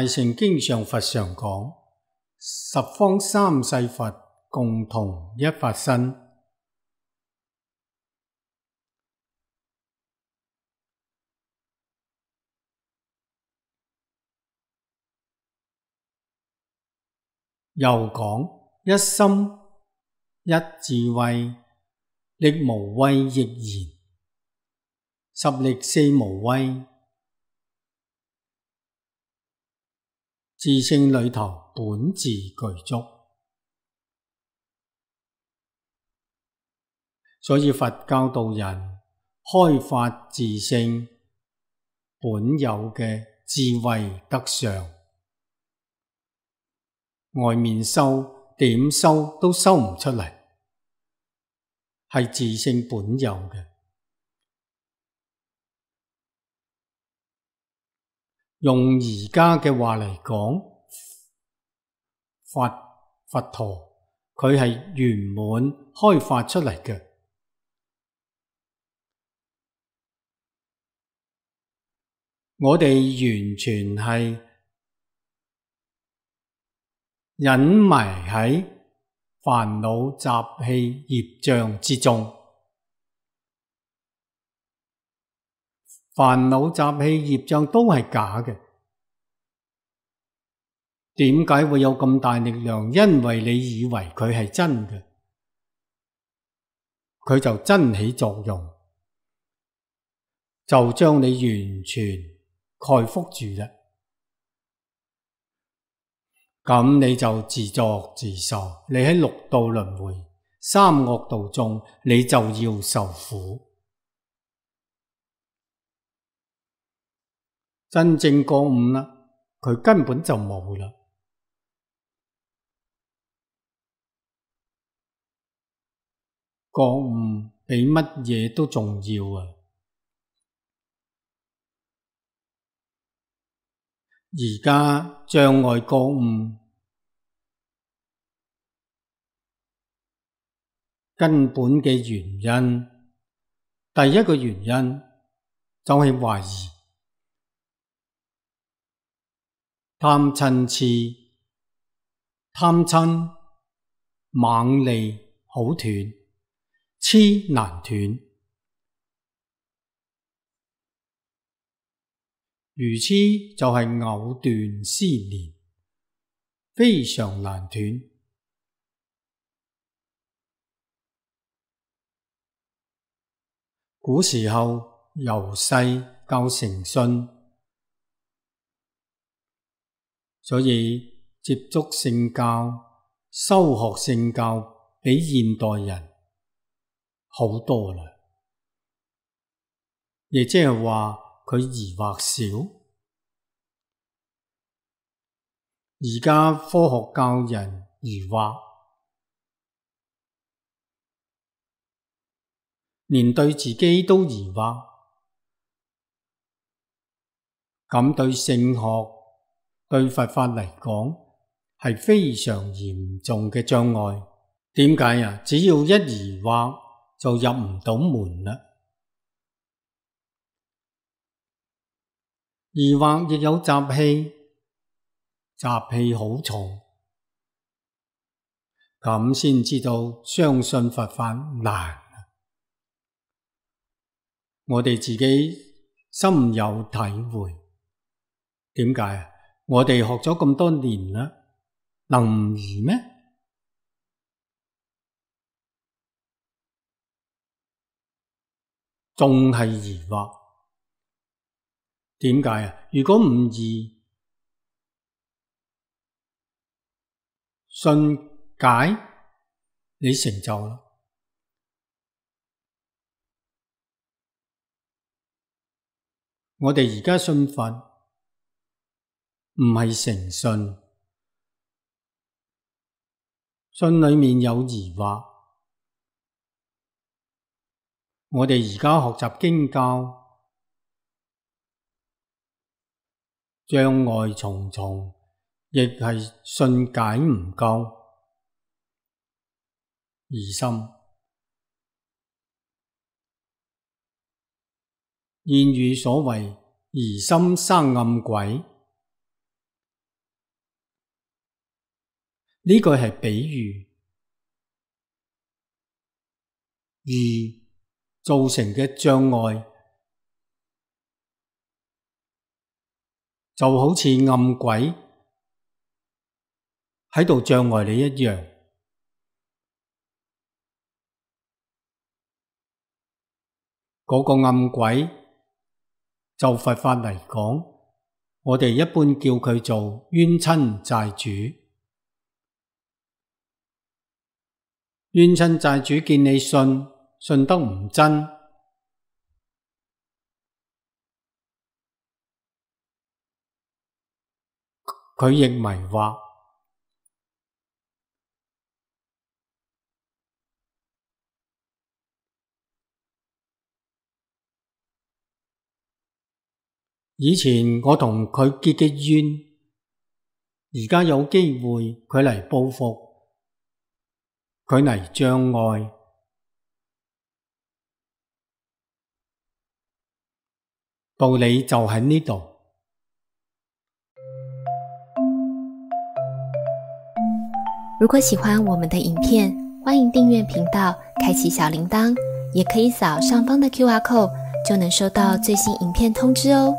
大乘經上佛常講，十方三世佛共同一法身。又講一心一智慧，力無畏亦然，十力四無畏。自性裏頭本自具足，所以佛教導人開發自性本有嘅智慧德相，外面修點修都修唔出嚟，係自性本有嘅。用而家嘅話嚟講，佛陀佢係圓滿開發出嚟嘅。我哋完全係隱埋喺煩惱習氣業障之中，煩惱習氣業障都係假嘅。點解會有咁大力量？因為你以為佢係真嘅，佢就真起作用，就將你完全蓋覆住啦。咁你就自作自受，你喺六道輪迴、三惡道中，你就要受苦。真正覺悟啦，佢根本就冇啦。覺悟比乜嘢都重要啊！而家障礙覺悟根本嘅原因，第一個原因就係懷疑。貪嗔癡，貪嗔猛利好斷，癡難斷。愚癡就係藕斷絲連，非常難斷。古時候由細教誠信，所以接觸聖教、修學聖教比現代人好多啦。亦即係話佢疑惑少。而家科學教人疑惑，連對自己都疑惑，咁對聖學、對佛法嚟講係非常嚴重嘅障礙。點解啊？只要一疑惑就入唔到門啦。疑惑亦有習氣，習氣好重，咁先知道相信佛法難。我哋自己深有體會。點解啊？我哋學咗咁多年啦，能唔疑咩？仲係疑惑。點解啊？如果唔疑，信解，你成就啦。我哋而家信佛，唔係誠信，信裏面有疑惑。我哋而家學習經教，障礙重重，亦係信解唔夠，疑心。諺語所謂疑心生暗鬼，呢句係比喻，而造成嘅障礙就好似暗鬼喺度障礙你一樣。嗰個暗鬼就佛法嚟講，我哋一般叫佢做冤親債主。冤親債主見你信得唔真，佢亦迷惑。以前我同佢結嘅怨，而家有機會佢嚟報復，佢嚟障礙，道理就喺呢度。如果喜歡我們的影片，歡迎訂閱頻道，開啟小鈴鐺，也可以掃上方的QR code，就能收到最新影片通知哦。